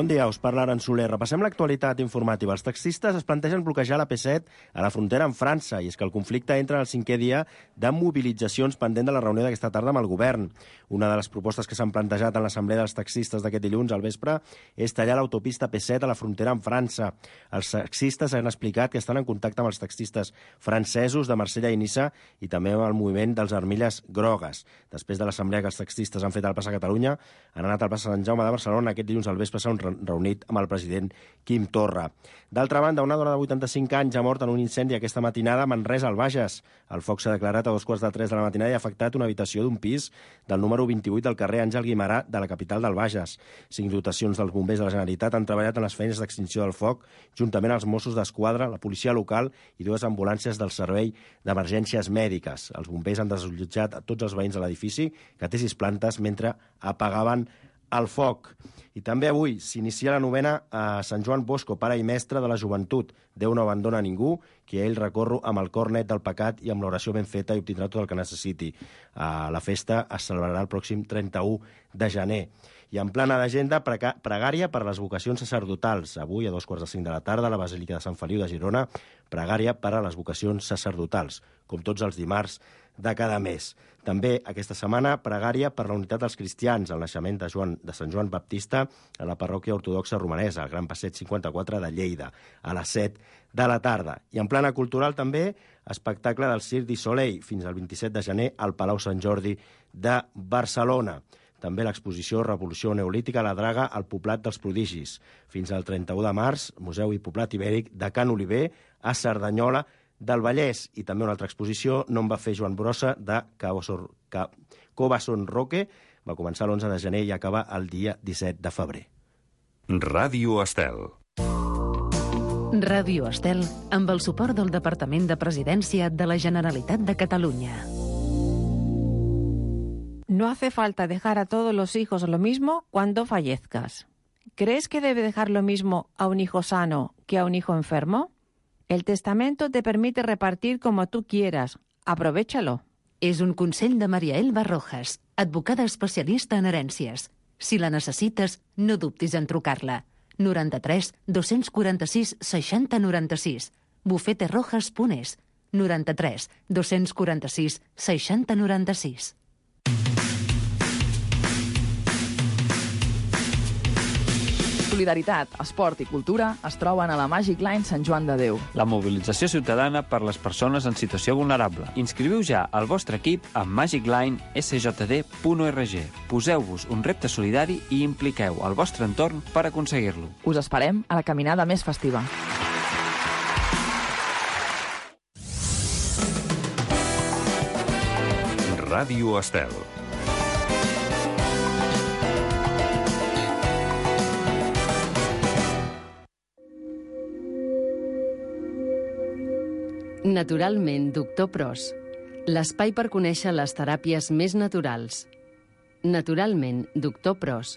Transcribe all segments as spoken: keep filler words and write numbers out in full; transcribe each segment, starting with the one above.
Bon dia, us parla Aran Soler. Repassem l'actualitat informativa. Els taxistes es plantegen bloquejar la P set a la frontera amb França, i és que el conflicte entra al cinquè dia de mobilitzacions pendent de la reunió d'aquesta tarda amb el govern. Una de les propostes que s'han plantejat en l'assemblea dels taxistes d'aquest dilluns al vespre és tallar l'autopista P set a la frontera amb França. Els taxistes han explicat que estan en contacte amb els taxistes francesos de Marsella i Niça i també amb el moviment dels Armilles Grogues. Després de l'assemblea que els taxistes han fet al Plaça Catalunya, han anat al Plaça Sant Jaume de Barcelona. Aquest dilluns al vespre s'han reunit amb el president Quim Torra. D'altra banda, una dona de vuitanta-cinc anys ha mort en un incendi aquesta matinada a Manresa, al Bages. El foc s'ha declarat a dos quarts de tres de la matinada i ha afectat una habitació d'un pis del número vint-i-vuit del carrer Àngel Guimerà de la capital del Bages. Cinc dotacions dels bombers de la Generalitat han treballat en les feines d'extinció del foc, juntament als Mossos d'Esquadra, la policia local i dues ambulàncies del Servei d'Emergències Mèdiques. Els bombers han desallotjat a tots els veïns de l'edifici, que té sis plantes, mentre apagaven el foc. I també avui s'inicia la novena a Sant Joan Bosco, pare i mestre de la joventut. Déu no abandona a ningú, que a ell recorro amb el cor net del pecat i amb l'oració ben feta i obtindrà tot el que necessiti. La festa es celebrarà el pròxim trenta-u de gener. I en plana d'agenda, pregària per a les vocacions sacerdotals. Avui, a dos quarts de cinc de la tarda, a la Basílica de Sant Feliu de Girona, pregària per a les vocacions sacerdotals, com tots els dimarts de cada mes. També aquesta setmana, pregària per la unitat dels cristians, el naixement de, Joan, de Sant Joan Baptista a la parròquia ortodoxa romanesa, al Gran Passeig cinquanta-quatre de Lleida, a les set de la tarda. I en plana cultural també, espectacle del Cirque du Soleil, fins al vint-i-set de gener al Palau Sant Jordi de Barcelona. També l'exposició Revolució Neolítica a la Draga al Poblat dels Prodigis. Fins al trenta-u de març, Museu i Poblat Ibèric de Can Oliver a Cerdanyola del Vallès. I també una altra exposició, No em va fer Joan Brossa, de Cobasson Roque. Va començar l'onze de gener i acaba el dia disset de febrer. Ràdio Estel. Ràdio Estel, amb el suport del Departament de Presidència de la Generalitat de Catalunya. No hace falta dejar a todos los hijos lo mismo cuando fallezcas. ¿Crees que debe dejar lo mismo a un hijo sano que a un hijo enfermo? El testamento te permite repartir como tú quieras. Aprovéchalo. És un consell de Maria Elba Rojas, advocada especialista en herències. Si la necessites, no dubtis en trucar-la. noranta-tres dos-cents quaranta-sis seixanta noranta-sis. bufete rojas punt es. noranta-tres dos-cents quaranta-sis seixanta noranta-sis. Solidaritat, esport i cultura es troben a la Magic Line Sant Joan de Déu. La mobilització ciutadana per les persones en situació vulnerable. Inscriviu ja el vostre equip a magic line s j d punt org. Poseu-vos un repte solidari i impliqueu el vostre entorn per aconseguir-lo. Us esperem a la caminada més festiva. Ràdio Estel. Naturalment, doctor Pros. L'espai per conèixer les teràpies més naturals. Naturalment, doctor Pros.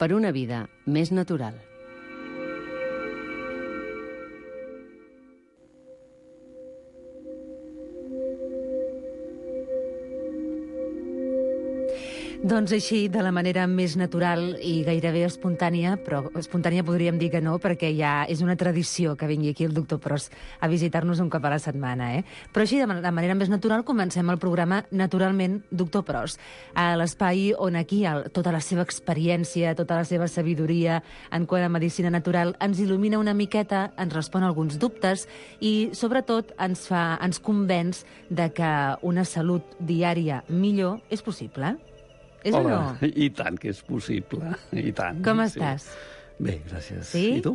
Per una vida més natural. Doncs així, de la manera més natural i gairebé espontània, però espontània podríem dir que no, perquè ja és una tradició que vingui aquí el doctor Pros a visitar-nos un cop a la setmana, eh? Però així, de manera més natural, comencem el programa Naturalment, doctor Pros, a l'espai on aquí tota la seva experiència, tota la seva sabidoria en quant a medicina natural ens il·lumina una miqueta, ens respon alguns dubtes i, sobretot, ens fa, ens convenç de que una salut diària millor és possible. És Hola, o no? I tant que és possible, i tant. Com sí. estàs? Bé, gràcies. Sí? I tu?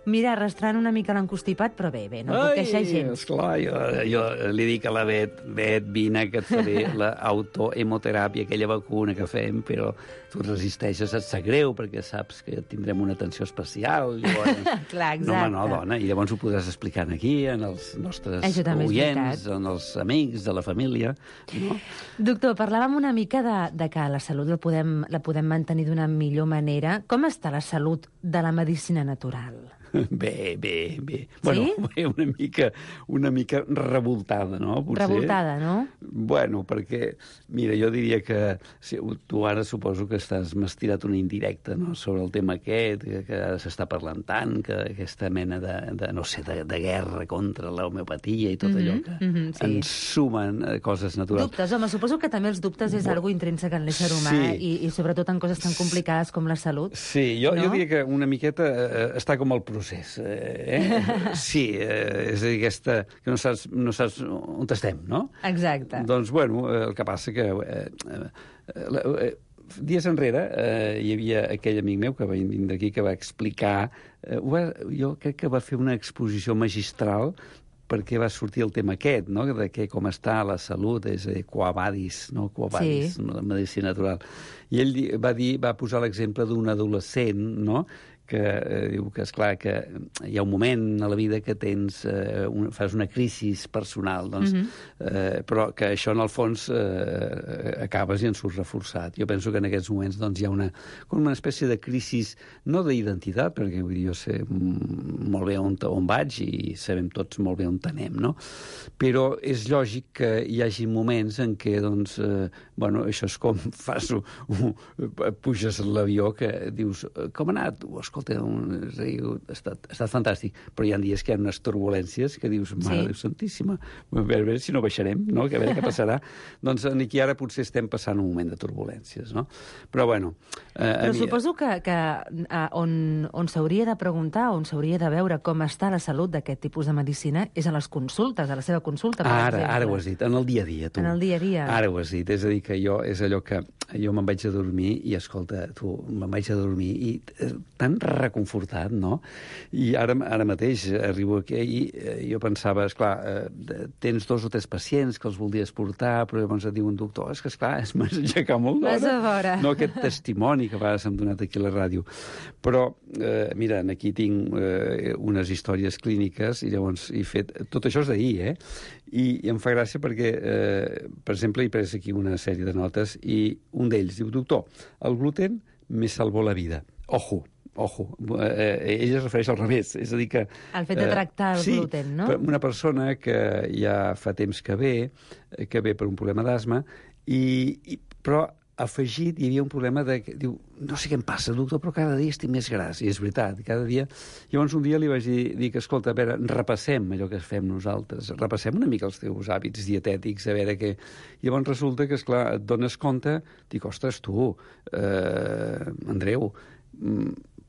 Mira, arrastrant una mica l'encostipat, però bé, bé, no em puc queixar gens. Esclar, jo, jo li dic a la Bet, Bet, vine que et faré l'autohemoteràpia, aquella vacuna que fem, però tu et resisteixes, et sap greu, perquè saps que tindrem una atenció especial. Llavors, Clar, exacte. No, home, no, dona, i llavors ho podràs explicar aquí, en els nostres oients, en els amics, de la família. No? Doctor, parlàvem una mica de, de que la salut la podem, la podem mantenir d'una millor manera. Com està la salut de la medicina natural? Bé, bé, bé. Bueno, Sí? una mica, una mica revoltada, no? Potser. Revoltada, no? Bueno, perquè, mira, jo diria que si, tu ara suposo que estàs m'has tirat una indirecta, no?, sobre el tema aquest, que, que s'està parlant tant, que aquesta mena de, de no sé, de, de guerra contra l'homeopatia i tot allò que mhm, sí. ens sumen eh, coses naturals. Dubtes, home, suposo que també els dubtes és algo intrínsec en l'ésser humà Sí. i, i sobretot en coses tan complicades com la salut. Sí, jo, No? jo diria que una miqueta eh, està com el procés. Eh? Sí, eh, és a dir, aquesta, que no saps, no saps on estem, no? Exacte. Doncs, bueno, eh, el que passa que... Eh, eh, eh, dies enrere eh, hi havia aquell amic meu que va vindre aquí que va explicar... Eh, va, jo crec que va fer una exposició magistral perquè va sortir el tema aquest, no?, de que com està la salut, és a dir, quo vadis, no? Quo vadis, Sí. la medicina natural. I ell di- va dir, va posar l'exemple d'un adolescent, no?, que eh, diu que, esclar, que hi ha un moment a la vida que tens, eh, un, fas una crisi personal, doncs, Mhm. eh, però que això, en el fons, eh, acabes i en surts reforçat. Jo penso que en aquests moments doncs, hi ha una, com una espècie de crisi, no d'identitat, perquè vull dir, jo sé mm, molt bé on, on vaig i sabem tots molt bé on anem, no? Però és lògic que hi hagi moments en què, doncs, eh, bueno, això és com fas un, un, puges a l'avió que dius, com ha anat? Escolta, un, és a dir, ha, estat, ha estat fantàstic, però hi ha dies que hi ha unes turbulències que dius, mare Sí. Déu santíssima, a veure, a veure si no baixarem, no? Que a veure què passarà. Doncs aquí ara potser estem passant un moment de turbulències, no? Però, bueno... Eh, a Però mi- suposo que, que eh, on, on s'hauria de preguntar, on s'hauria de veure com està la salut d'aquest tipus de medicina és a les consultes, a la seva consulta, per Ara, exemple. ara ho has dit, en el dia a dia, tu. En el dia a dia. Ara ho has dit, és a dir, que jo, és allò que jo me'n vaig a dormir i, escolta, tu, me'n vaig a dormir i eh, tan reconfortat, no? I ara, ara mateix arribo aquí i eh, jo pensava, esclar, eh, tens dos o tres pacients que els voldries portar, però llavors et diu un doctor, és que, esclar, es m'has aixecat molt d'hora. Vas a veure. No, aquest testimoni que a vegades hem donat aquí a la ràdio. Però, eh, mira, aquí tinc eh, unes històries clíniques i llavors he fet... Tot això és d'ahir, eh? I, I em fa gràcia perquè, eh, per exemple, he pres aquí una sèrie de notes i un d'ells diu, doctor, el gluten me salvó la vida. Ojo, ojo, eh, ell es refereix al revés, és a dir que... El fet de tractar el sí, gluten, no? Sí, una persona que ja fa temps que ve, que ve per un problema d'asma, i, i, però afegit hi havia un problema de... Diu, no sé què em passa, doctor, però cada dia estic més gras. I és veritat, cada dia... Llavors un dia li vaig dir, dir que, escolta, a veure, repassem allò que fem nosaltres, repassem una mica els teus hàbits dietètics, a veure què... Llavors resulta que, esclar, et dones compte, dic, ostres, tu, eh, Andreu,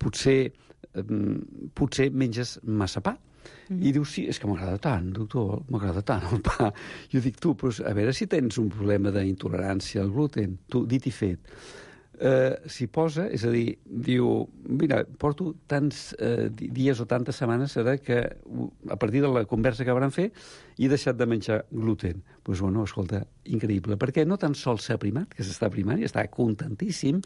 potser, eh, potser menges massa pa. Mm. I diu, sí, és que m'agrada tant, doctor, m'agrada tant el pa. Jo dic, tu, doncs, a veure si tens un problema d'intolerància al gluten. Tu, dit i fet. Eh, s'hi posa, és a dir, diu, mira, porto tants eh, dies o tantes setmanes ara que a partir de la conversa que vam fer he deixat de menjar gluten. Doncs, pues, bueno, escolta, increïble, perquè no tan sols s'ha primat, que s'està primant i està contentíssim,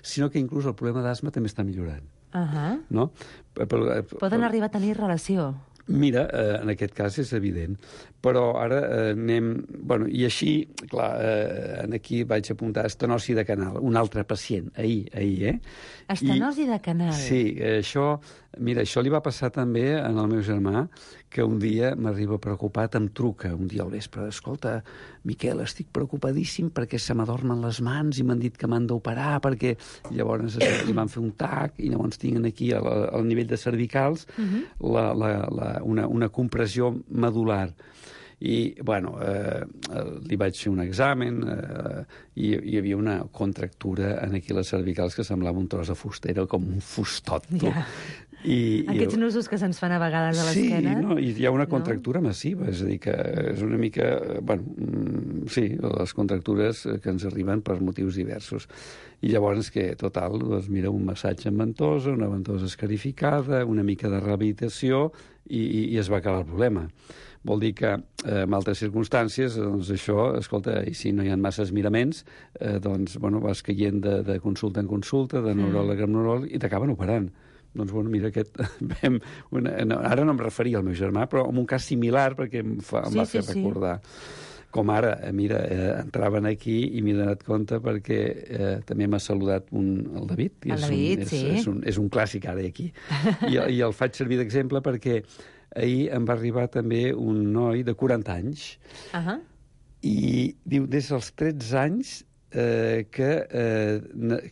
sinó que inclús el problema d'asma també està millorant. Uh -huh. No? Per, per, Poden arribar a tenir relació. Mira, eh, en aquest cas és evident, però ara eh, anem... Bueno, i així, clar, eh, aquí vaig apuntar estenosi de canal, un altre pacient, ahir, ahir, eh? Estenosi I, de canal. Sí, eh, això... Mira, això li va passar també en el meu germà, que un dia m'arriba preocupat, em truca un dia al vespre, escolta, Miquel, estic preocupadíssim perquè se m'adormen les mans i m'han dit que m'han d'operar, perquè llavors li van fer un tac i llavors tinc aquí al, al nivell de cervicals uh-huh. la, la, la, una, una compressió medular. I, bueno, eh, li vaig fer un examen eh, i hi havia una contractura en aquí les cervicals que semblava un tros de fusta, era com un fustot. Ja. I, Aquests i, nusos que se'ns fan a vegades a l'esquena. Sí, no, i hi ha una contractura no? massiva, és a dir, que és una mica... Bueno, sí, les contractures que ens arriben per motius diversos. I llavors que, total, doncs mira, un massatge amb ventosa, una ventosa escarificada, una mica de rehabilitació i, i, i es va acabar el problema. Vol dir que eh, en altres circumstàncies, doncs això, escolta, i si no hi ha masses miraments, eh, doncs, bueno, vas caient de, de consulta en consulta, de neuròleg en neuròleg, i t'acaben operant. Doncs, bueno, mira, aquest... Una, no, ara no em referia al meu germà, però en un cas similar, perquè em, fa, em sí, va fer sí, recordar. Sí. Com ara, eh, mira, eh, entraven aquí i m'he donat compte perquè eh, també m'ha saludat un, el David. I El és David, un, és, sí. És un, és un clàssic ara aquí. I, I el faig servir d'exemple perquè ahir em va arribar també un noi de quaranta anys Uh -huh. i diu, des dels tretze anys eh, que, eh,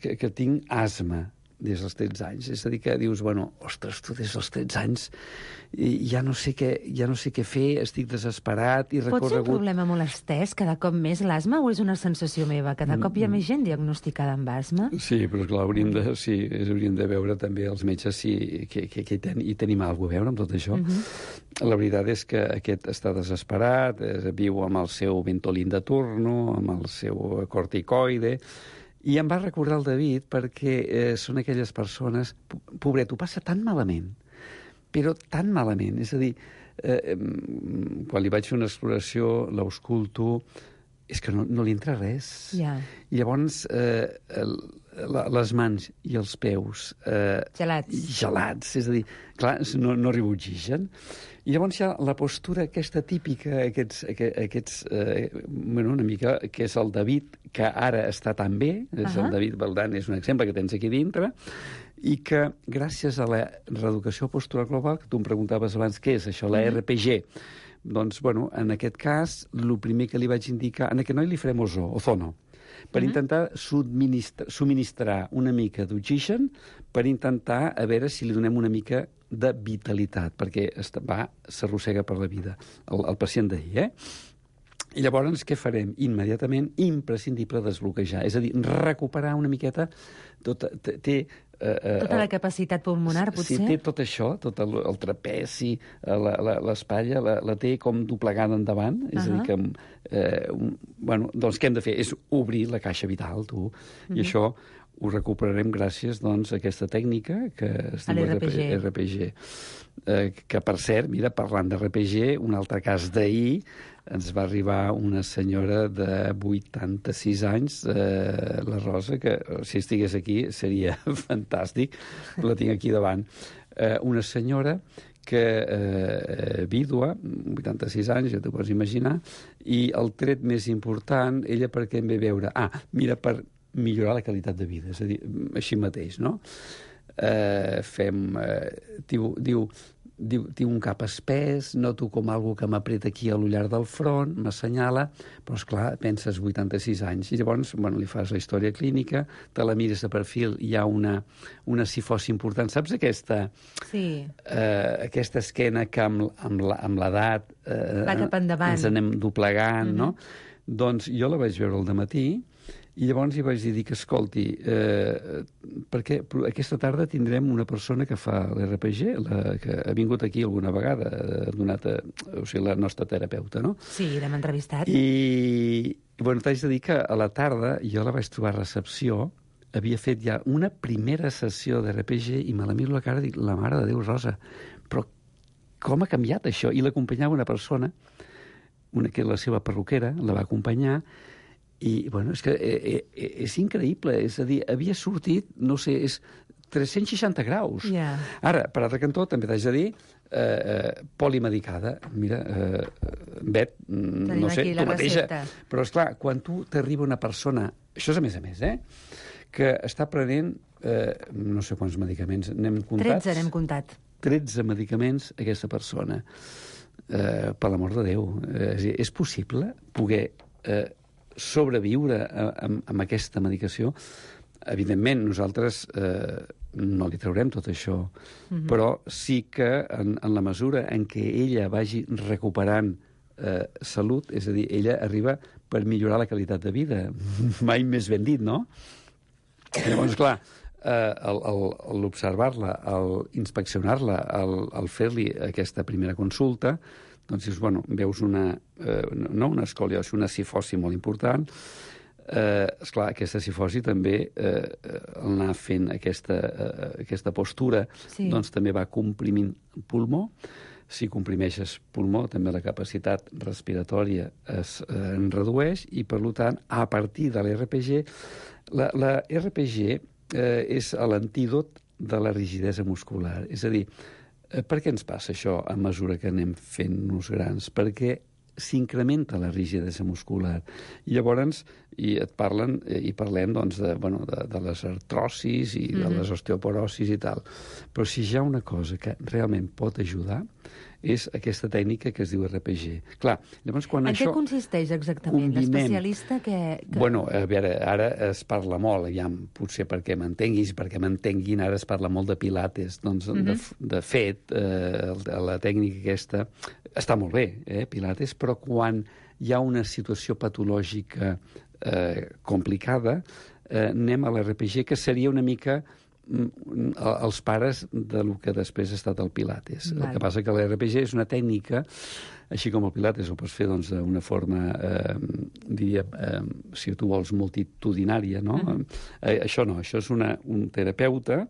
que, que tinc asma, des dels tretze anys. És a dir, que dius, bueno, ostres, tu des dels tretze anys i ja no sé què, ja no sé què fer, estic desesperat i Pot ser un recorregut... problema molt estès, cada cop més l'asma, o és una sensació meva? Cada cop hi ha més gent diagnosticada amb asma? Sí, però clar, hauríem de, sí, hauríem de veure també els metges si, que, que, que hi, ten, hi tenim alguna a veure amb tot això. Uh -huh. La veritat és que aquest està desesperat, eh, viu amb el seu Ventolin de turno, amb el seu corticoide, i em va recordar el David perquè eh, són aquelles persones... Pobret, ho passa tan malament, però tan malament. És a dir, eh, quan li vaig fer una exploració, l'ausculto, és que no, no li entra res. Ja. I llavors eh, el, la, les mans i els peus... Eh, Gelats. Gelats, és a dir, clar, no, no arriba oxigen. I llavors hi ha la postura aquesta típica, aquests, aquests eh, bueno, una mica, que és el David, que ara està tan bé, és uh -huh. el David Valdán, és un exemple que tens aquí dintre, i que gràcies a la reeducació postural global, que tu em preguntaves abans què és això, la R P G, doncs, bueno, en aquest cas, el primer que li vaig indicar, en aquest noi li farem ozó, ozono, per uh -huh. intentar subministrar, subministrar una mica d'oxigen, per intentar a veure si li donem una mica de vitalitat, perquè va, s'arrossega per la vida, el, el pacient d'ahir, eh? I llavors què farem? Immediatament, imprescindible desbloquejar, és a dir, recuperar una miqueta, tot, té... Eh, tota la capacitat pulmonar, potser? Sí, té tot això, tot el, el trapeci, l'espatlla, la, la té com doblegada endavant, és uh -huh. a dir, que... Eh, un, bueno, doncs què hem de fer? És obrir la caixa vital, tu, uh -huh. i això ho recuperarem gràcies, doncs, a aquesta tècnica que es diu R P G. R P G. Eh, que, per cert, mira, parlant de R P G, un altre cas d'ahir, ens va arribar una senyora de vuitanta-sis anys, eh, la Rosa, que si estigués aquí seria fantàstic, la tinc aquí davant. Eh, una senyora que eh, vídua, vuitanta-sis anys, ja t'ho pots imaginar, i el tret més important, ella per què em ve veure? Ah, mira, per millorar la qualitat de vida, és a dir, així mateix, no? Eh, fem... Eh, diu, diu, diu, tinc un cap espès, noto com algo que m'apreta aquí a l'ullar del front, m'assenyala, però, esclar, penses vuitanta-sis anys. I llavors, bueno, li fas la història clínica, te la mires de perfil, hi ha una, una cifosi important. Saps aquesta... Sí. Eh, aquesta esquena que amb, amb l'edat... Eh, va cap endavant. Ens anem doblegant, uh-huh. no? Doncs jo la vaig veure al dematí, i llavors hi vaig dir que, escolti, eh, perquè aquesta tarda tindrem una persona que fa l'R P G, la, que ha vingut aquí alguna vegada, ha donat a, o sigui, la nostra terapeuta, no? Sí, l'hem entrevistat. I, i bueno, t'haig de dir que a la tarda jo la vaig trobar a recepció, havia fet ja una primera sessió d'R P G i me la miro a la cara i dic, la mare de Déu, Rosa, però com ha canviat això? I l'acompanyava una persona, una que la seva perruquera, la va acompanyar, i, bueno, és que eh, eh, és increïble, és a dir, havia sortit, no sé, és tres-cents seixanta graus. Yeah. Ara, per altre cantó, també t'haig de dir, eh, eh, polimedicada. Mira, eh, Bet, Tenim no sé, tu mateixa. Recepta. Però, esclar, quan tu t'arriba una persona, això és a més a més, eh, que està prenent, eh, no sé quants medicaments, n'hem comptats? tretze n'hem comptat. tretze medicaments aquesta persona. Eh, per l'amor de Déu. Eh, és, és possible poder... Eh, sobreviure amb, amb aquesta medicació. Evidentment, nosaltres eh, no li traurem tot això, mm-hmm. però sí que en, en la mesura en què ella vagi recuperant eh, salut, és a dir, ella arriba per millorar la qualitat de vida. Mai més ben dit, no? Llavors, clar, eh, l'observar-la, l'inspeccionar-la, el, el fer-li aquesta primera consulta, doncs dius, bueno, veus una, eh, no una escoliosi, una cifosi molt important. Eh, esclar, aquesta cifosi també, eh, al anar fent aquesta, eh, aquesta postura, sí. doncs també va comprimint pulmó. Si comprimeixes pulmó, també la capacitat respiratòria es eh, redueix i, per tant, a partir de l'R P G, la, la R P G eh, és l'antídot de la rigidesa muscular. És a dir, per què ens passa això a mesura que anem fent-nos grans? Perquè s'incrementa la rigidesa muscular. I llavors i et parlen, i parlem doncs, de, bueno, de, de les artrosis i de les osteoporosis i tal. Però si hi ha una cosa que realment pot ajudar és aquesta tècnica que es diu R P G. Clar, llavors quan en això... què consisteix exactament? combinem... L'especialista que, que... Bueno, a veure, ara es parla molt, ja, potser perquè m'entenguis, perquè m'entenguin, ara es parla molt de pilates. Doncs, uh-huh. de, de fet, eh, la tècnica aquesta està molt bé, eh, pilates, però quan hi ha una situació patològica eh, complicada, eh, anem a l'R P G, que seria una mica els pares del que després ha estat el Pilates. Val. El que passa que l'R P G és una tècnica, així com el Pilates ho pots fer doncs, d'una forma, eh, diria, eh, si tu vols, multitudinària, no? Uh-huh. Eh, això no, això és una, un terapeuta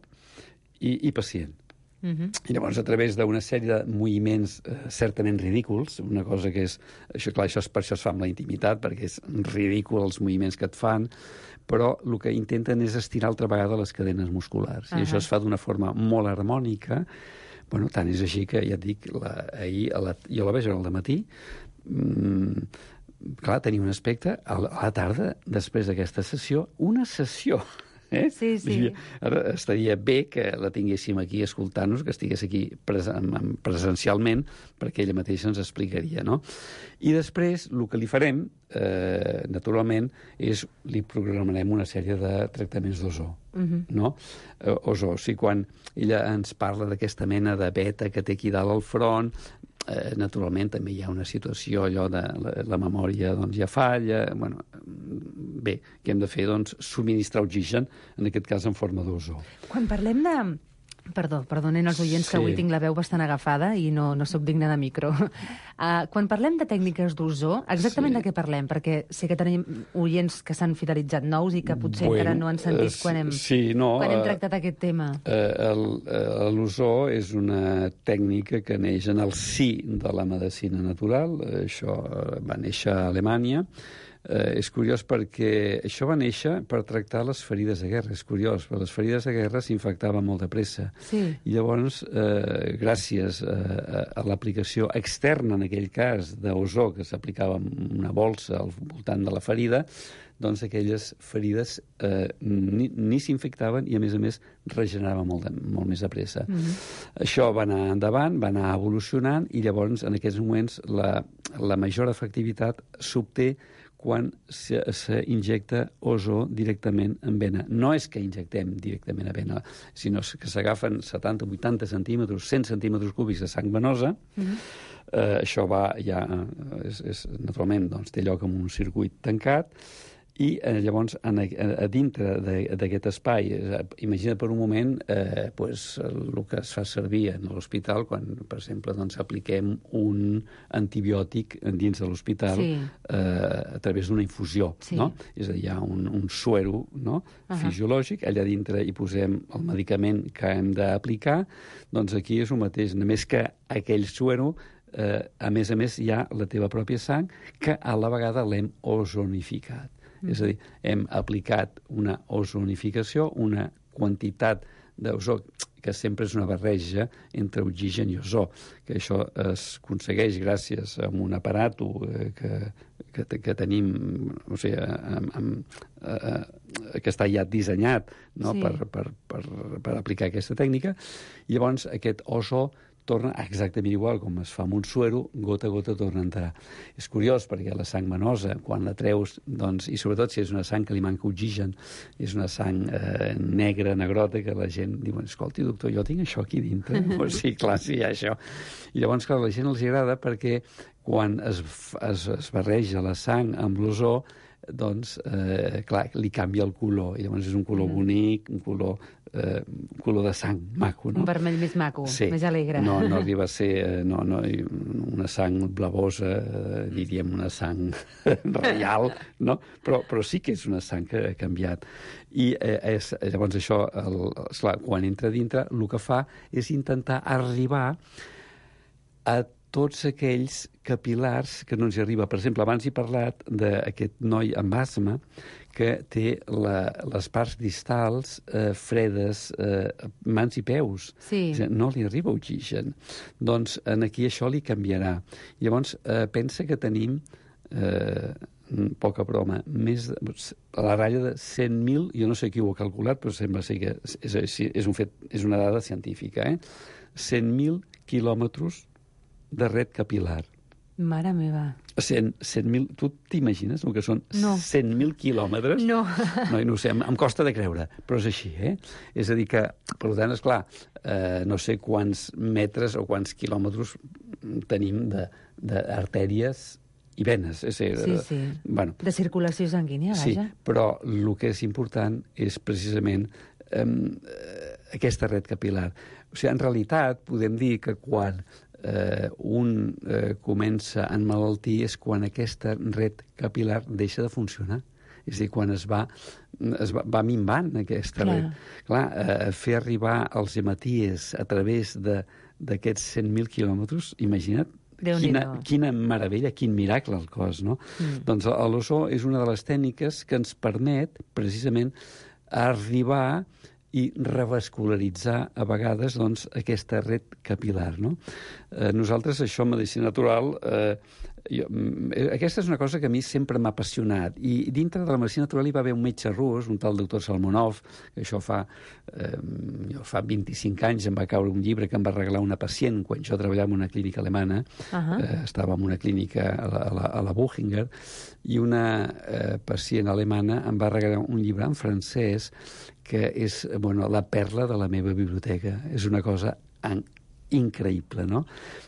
i, i pacient. Uh-huh. I llavors, a través d'una sèrie de moviments eh, certament ridículs, una cosa que és... Això, clar, això és, per això es fa amb la intimitat, perquè és ridícul els moviments que et fan, però el que intenten és estirar altra vegada les cadenes musculars. Uh-huh. I això es fa d'una forma molt harmònica. Bueno, tant és així que, ja et dic, la, ahir a la, jo la veig al dematí, mmm, clar, tenia un aspecte, a la, a la tarda, després d'aquesta sessió, una sessió... Eh? Sí, sí. Ara estaria bé que la tinguéssim aquí escoltant-nos, que estigués aquí presen presencialment, perquè ella mateixa ens explicaria, no? I després, el que li farem, eh, naturalment, és li programarem una sèrie de tractaments d'ozó. Uh-huh. No? Eh, ozó. O sigui, quan ella ens parla d'aquesta mena de beta que té aquí dalt al front, Eh, naturalment també hi ha una situació allò de la, la memòria doncs ja falla, bueno, bé, què hem de fer? Doncs subministrar oxigen, en aquest cas en forma d'ozó. Quan parlem de... Perdó, perdonen els oients, sí. Que avui tinc la veu bastant agafada i no, no sóc digna de micro. Uh, quan parlem de tècniques d'ozó, exactament sí. De què parlem? Perquè sé que tenim oients que s'han fidelitzat nous i que potser bueno, encara no han sentit quan hem, sí, no, quan hem uh, tractat aquest tema. Uh, L'ozó és una tècnica que neix en el si de la medicina natural. Això va néixer a Alemanya. Eh, és curiós perquè això va néixer per tractar les ferides de guerra. És curiós, però les ferides de guerra s'infectaven molt de pressa. Sí. I llavors, eh, gràcies a, a l'aplicació externa, en aquell cas, d'ozó, que s'aplicava una bolsa al voltant de la ferida, doncs aquelles ferides eh, ni, ni s'infectaven i, a més a més, regeneraven molt, de, molt més de pressa. Mm-hmm. Això va anar endavant, va anar evolucionant, i llavors, en aquests moments, la, la major efectivitat s'obté quan s'injecta ozó directament en vena. No és que injectem directament a vena, sinó que s'agafen setanta, vuitanta centímetres, cent centímetres cúbics de sang venosa. Mm-hmm. eh, això va ja, és, és, naturalment, doncs, té lloc en un circuit tancat, i eh, llavors en, a, a dintre d'aquest espai, eh, imagina't per un moment eh, pues, el que es fa servir en l'hospital quan, per exemple, doncs, apliquem un antibiòtic dins de l'hospital, sí. eh, a través d'una infusió, sí. No? És a dir, hi ha un, un suero, no? Uh-huh. Fisiològic, allà dintre hi posem el medicament que hem d'aplicar, doncs aquí és el mateix, només que aquell suero, eh, a més a més, hi ha la teva pròpia sang, que a la vegada l'hem ozonificat. És a dir, hem aplicat una ozonificació, una quantitat d'ozó, que sempre és una barreja entre oxigen i ozó, que això es aconsegueix gràcies a un aparato eh, que, que, que tenim, o sigui, amb, amb, eh, que està ja dissenyat, no? Sí. per, per, per, per aplicar aquesta tècnica, i llavors aquest ozó torna exactament igual com es fa amb un suero, gota a gota torna a entrar. És curiós perquè la sang venosa, quan la treus, doncs, i sobretot si és una sang que li manca oxigen, és una sang eh, negra, negrota, que la gent diu, escolti, doctor, jo tinc això aquí dintre. Pues sí, clar, sí, hi ha això. I llavors, clar, a la gent els agrada perquè quan es, es, es barreja la sang amb l'ozó, doncs, eh, clar, li canvia el color, i llavors és un color bonic, un color, eh, un color de sang maco, no? Un vermell més maco, sí. Més alegre. No, no arriba a ser eh, no, no, una sang blavosa, eh, diríem una sang reial, no? Però, però sí que és una sang que ha canviat. I eh, és, llavors això, el, esclar, quan entra dintre, el que fa és intentar arribar a tots aquells capilars que no ens hi arriba. Per exemple, abans he parlat d'aquest noi amb asma que té la, les parts distals eh, fredes, eh, mans i peus. Sí. No li arriba oxigen. Doncs en aquí això li canviarà. Llavors, eh, pensa que tenim, eh, poca broma, més de, a la ratlla de cent mil, jo no sé qui ho ha calculat, però sembla ser que és, és, és, un fet, és una dada científica, eh? cent mil quilòmetres de red capilar. Mare meva. cent mil, tu t'imagines el que són no. cent mil quilòmetres? No. No, no ho sé, em, em costa de creure, però és així, eh? És a dir que, per tant, esclar, eh, no sé quants metres o quants quilòmetres tenim d'artèries i venes. És a dir, sí, sí. Bueno, de circulació sanguínia, vaja. Sí, però el que és important és precisament eh, aquesta red capilar. O sigui, en realitat, podem dir que quan eh, un eh, comença a emmalaltir és quan aquesta red capilar deixa de funcionar. És a dir, quan es va, es va, va minvant aquesta Clar. red. Clar, eh, fer arribar els hematies a través d'aquests cent mil quilòmetres, imagina't, quina, quina meravella, quin miracle al cos, no? Mm. Doncs l'ozó és una de les tècniques que ens permet, precisament, arribar i revascularitzar a vegades doncs, aquesta red capilar. No? Eh, nosaltres, això en medicina natural, eh, jo, aquesta és una cosa que a mi sempre m'ha apassionat. I dintre de la medicina natural hi va haver un metge rus, un tal doctor Salmonov, que això fa, eh, jo fa vint-i-cinc anys em va caure un llibre que em va regalar una pacient quan jo treballava en una clínica alemana. Uh-huh. eh, estava en una clínica a la, a la, a la Buchinger, i una eh, pacient alemana em va regalar un llibre en francès que és, bueno, la perla de la meva biblioteca. És una cosa en, increïble, no?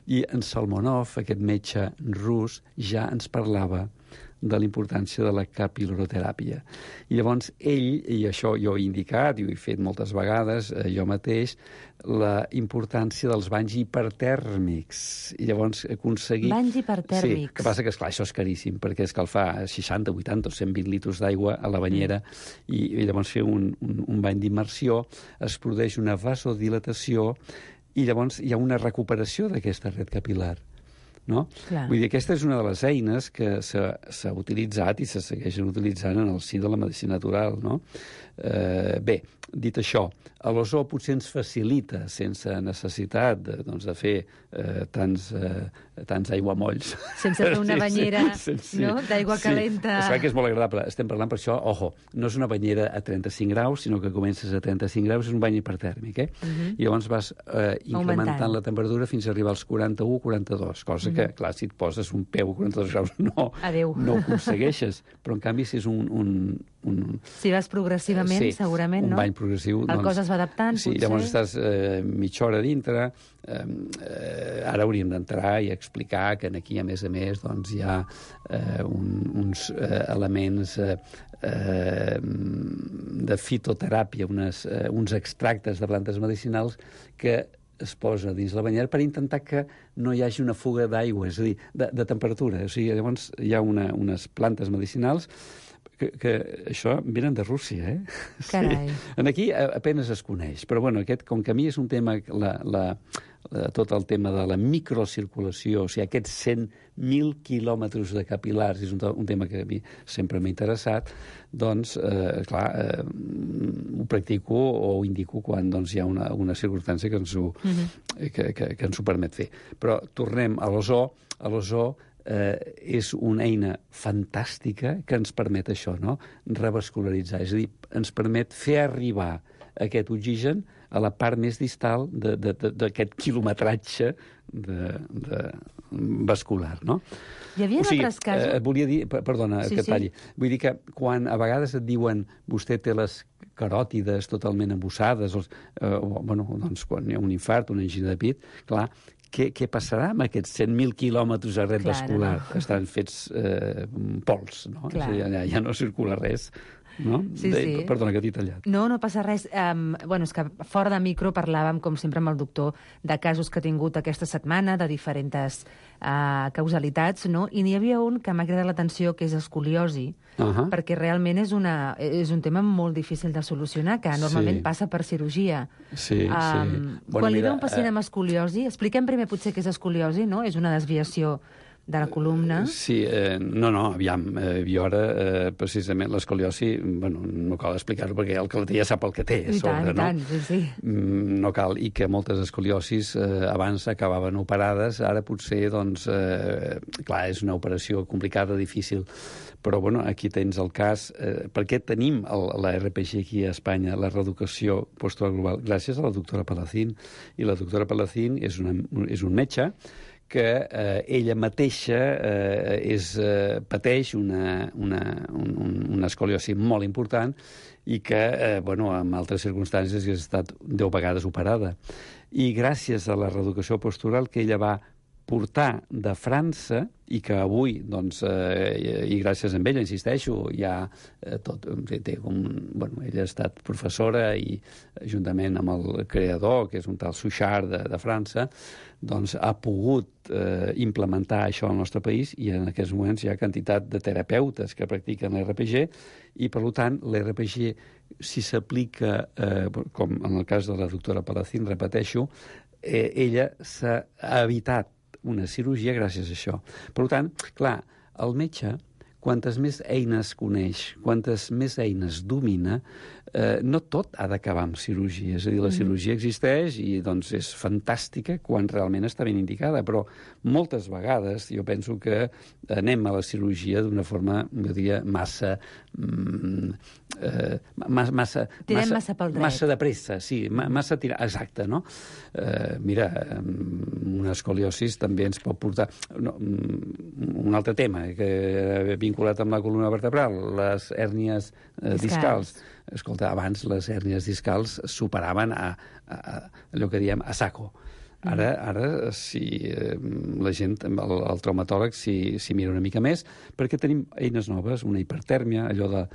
I en Salmonov, aquest metge rus, ja ens parlava de la importància de la capil·laroteràpia. I llavors ell, i això jo he indicat, i ho he fet moltes vegades, eh, jo mateix, la importància dels banys hipertèrmics. I llavors aconseguir... Banys hipertèrmics. Sí, que passa que, esclar, això és caríssim, perquè escalfar seixanta, vuitanta o cent vint litres d'aigua a la banyera mm. i, i llavors fer un, un, un bany d'immersió, es produeix una vasodilatació i llavors hi ha una recuperació d'aquesta red capilar. No? Vull dir, aquesta és una de les eines que s'ha utilitzat i se segueixen utilitzant en el si de la medicina natural, no? Eh, bé, dit això, l'ozó potser ens facilita, sense necessitat de, doncs, de fer eh, tants, eh, tants aiguamolls. Sense fer una banyera sí, sí, no? d'aigua sí. calenta. És clar que és molt agradable. Estem parlant per això, ojo, no és una banyera a trenta-cinc graus, sinó que comences a trenta-cinc graus, és un bany hipertèrmic, eh? Uh-huh. I llavors vas eh, incrementant Augmentant. la temperatura fins a arribar als quaranta-u quaranta-dos, cosa uh-huh. que, clar, si et poses un peu a quaranta-dos graus no, no ho aconsegueixes. Però, en canvi, si és un... un, un si vas progressivament, sí, segurament, no? Un bany progressiu. El doncs, cos es va adaptant, sí, potser? Llavors estàs eh, mitja hora dintre. Eh, eh, ara hauríem d'entrar i explicar que aquí, a més a més, doncs, hi ha eh, un, uns eh, elements eh, eh, de fitoteràpia, unes, eh, uns extractes de plantes medicinals que es posa dins la banyera per intentar que no hi hagi una fuga d'aigua, és a dir, de, de temperatura. O sigui, llavors hi ha una, unes plantes medicinals que, que això venen de Rússia, eh? Carai. Sí. En aquí apenes es coneix, però bueno, aquest, com que a mi és un tema, la, la, la, tot el tema de la microcirculació, o sigui, aquests cent mil quilòmetres de capilars, és un, un tema que a mi sempre m'ha interessat, doncs, eh, clar, eh, ho practico o ho indico quan doncs, hi ha una, una circumstància que ens, ho, uh-huh. que, que, que ens ho permet fer. Però tornem a l'ozó. A l'ozó eh, és una eina fantàstica que ens permet això, no? Revascularitzar, és a dir, ens permet fer arribar aquest oxigen a la part més distal d'aquest quilometratge de, de vascular, no? Hi havia o sigui, altres casos... Eh, volia dir, perdona, sí, que et talli. Sí. Vull dir que quan a vegades et diuen vostè té les caròtides totalment embussades, els, eh, o, bueno, doncs quan hi ha un infart, una angina de pit, clar, què, què passarà amb aquests cent mil quilòmetres de red Clar, vascular? No? Estan fets eh, pols, no? Clar. Ja, ja no circula res. no? Sí, de, sí. Perdona, que t'he tallat. No, no passa res. Um, bueno, és que fora de micro parlàvem, com sempre, amb el doctor de casos que ha tingut aquesta setmana, de diferents uh, causalitats, no? I n'hi havia un que m'ha cridat l'atenció, que és escoliosi, uh -huh. perquè realment és, una, és un tema molt difícil de solucionar, que normalment sí. passa per cirurgia. Sí, um, sí. Bueno, quan mira, li ve un pacient amb escoliosi, expliquem primer potser què és escoliosi, no? És una desviació de la columna. Sí, eh, no, no, aviam, eh, jo ara, eh, precisament, l'escoliosi, bueno, no cal explicar-ho perquè el que la té ja sap el que té. I sobre, tant, i no? tant, sí, sí. Mm, no cal, i que moltes escoliosis eh, abans acabaven operades, ara potser, doncs, eh, clar, és una operació complicada, difícil, però, bueno, aquí tens el cas, eh, perquè tenim el, la R P G aquí a Espanya, la reeducació postural global, gràcies a la doctora Palacín, i la doctora Palacín és, una, és un metge que eh, ella mateixa eh, és, eh, pateix una, una, un, una escoliosi molt important i que, eh, bueno, en altres circumstàncies ha estat deu vegades operada. I gràcies a la reeducació postural que ella va portar de França i que avui, doncs, eh, i gràcies a ella, insisteixo, ja eh, tot, té com, bueno, ella ha estat professora i juntament amb el creador, que és un tal Suchard de, de França, doncs ha pogut eh, implementar això al nostre país i en aquests moments hi ha quantitat de terapeutes que practiquen l'R P G i, per tant, l'R P G, si s'aplica, eh, com en el cas de la doctora Palacín, repeteixo, eh, ella s'ha evitat una cirurgia gràcies a això. Per tant, clar, el metge, quantes més eines coneix, quantes més eines domina, eh, no tot ha d'acabar amb cirurgia. És a dir, la cirurgia existeix i doncs, és fantàstica quan realment està ben indicada, però moltes vegades jo penso que anem a la cirurgia d'una forma, jo diria, massa... Mm, eh, massa, massa, massa, massa pel dret. Massa de pressa, sí, massa tirar... Exacte, no? Eh, mira, una escoliosis també ens pot portar... No, un altre tema que vinculat amb la columna vertebral, les hèrnies eh, discals. discals. Escolta, abans les hèrnies discals superaven a, a, a allò que diem a saco. Ara, ara si eh, la gent, el, el traumatòleg, s'hi si mira una mica més, perquè tenim eines noves, una hipertèrmia, allò de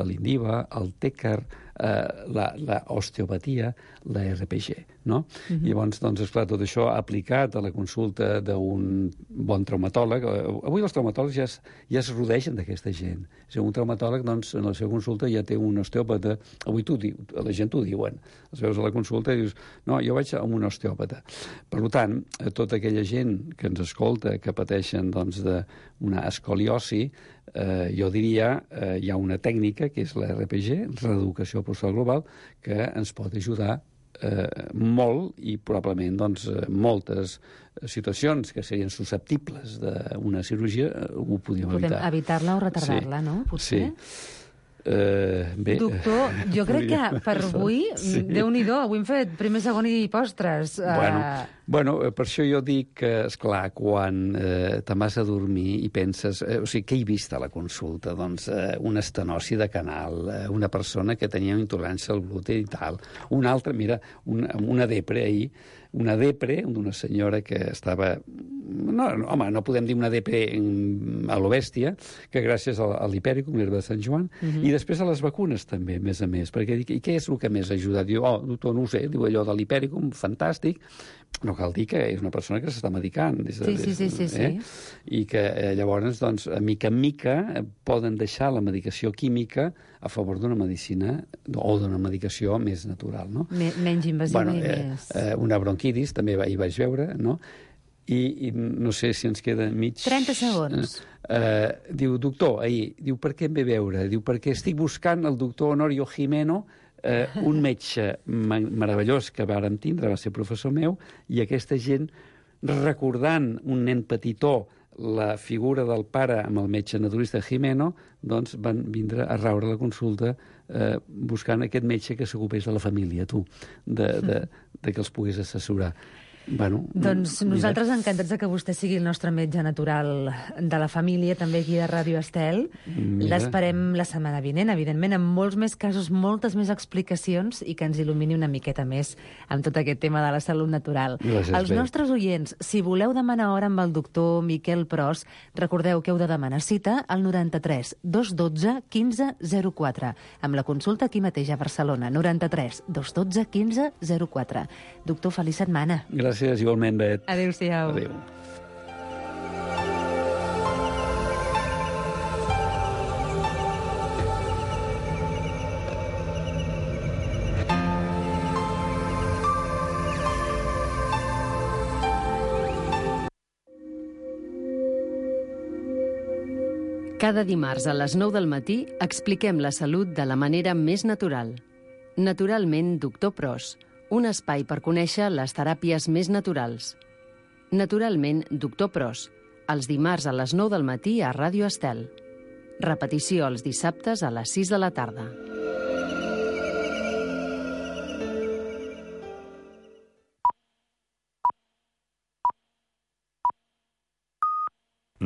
l'Indiva, el Tècar, eh, la, la osteopatia, la R P G, no? Uh -huh. I llavors, doncs, esclar, tot això aplicat a la consulta d'un bon traumatòleg. Avui els traumatòlegs ja es, ja es rodegen d'aquesta gent. És un traumatòleg, doncs, en la seva consulta ja té un osteòpata. Avui tu diu, la gent t'ho diuen. Els veus a la consulta i dius, no, jo vaig a un osteòpata. Per tant, tota aquella gent que ens escolta, que pateixen, doncs, d'una escoliosi, eh, jo diria, eh, hi ha una tècnica, que és la R P G, reeducació postural global, que ens pot ajudar eh, molt i probablement doncs, moltes situacions que serien susceptibles d'una cirurgia eh, ho podíem evitar. Podem evitar-la o retardar-la, sí. No? Potser? Sí. Uh, bé. Doctor, jo crec que per avui, sí. Déu-n'hi-do, avui hem fet primer, segon i postres. Bueno, uh... bueno, per això jo dic que, esclar, quan eh, te'n vas a dormir i penses... Eh, o sigui, què he vist a la consulta? Doncs eh, una estenosi de canal, eh, una persona que tenia intolerància al gluten i tal, una altra, mira, una, una depre ahir, una depre d'una senyora que estava... No, no, home, no podem dir una depre a lo bèstia, que gràcies a l'hipèricum, l'herba de Sant Joan, uh -huh. i després a les vacunes també, a més a més, perquè dic, i què és el que més ha ajudat? Diu, oh, doctor, no ho sé, diu allò de l'hipèricum, fantàstic, no cal dir que és una persona que s'està medicant. Des de, sí, sí, sí, sí, sí. Eh? I que eh, llavors, doncs, a mica en mica, eh, poden deixar la medicació química a favor d'una medicina o d'una medicació més natural, no? Me, menys invasiva bueno, i eh, més... Eh, una bronquitis, també hi vaig veure, no? I, i no sé si ens queda mig... trenta segons. Eh, diu, doctor, ahir, diu, per què em ve veure? Diu, perquè estic buscant el doctor Honorio Jimeno, eh, un metge meravellós que vàrem tindre, va ser professor meu, i aquesta gent, recordant un nen petitó, la figura del pare amb el metge naturista Jimeno, doncs van vindre a raure la consulta eh, buscant aquest metge que s'ocupés de la família, tu, de, de, de que els pogués assessorar. Bueno, Doncs mira. nosaltres encantats de que vostè sigui el nostre metge natural de la família, també aquí a Ràdio Estel. Mira. L'esperem la setmana vinent, evidentment, amb molts més casos, moltes més explicacions i que ens il·lumini una miqueta més amb tot aquest tema de la salut natural. Gràcies, Els bé. nostres oients, si voleu demanar hora amb el doctor Miquel Pros, recordeu que heu de demanar cita al noranta-tres dos dotze quinze zero quatre, amb la consulta aquí mateix a Barcelona, noranta-tres dos dotze quinze zero quatre. Doctor, feliç setmana. Gràcies, igualment, Bet. Adéu-siau. Adéu. Cada dimarts a les nou del matí expliquem la salut de la manera més natural. Naturalment, doctor Pros, un espai per conèixer les teràpies més naturals. Naturalment, doctor Pros, els dimarts a les nou del matí a Ràdio Estel. Repetició els dissabtes a les sis de la tarda.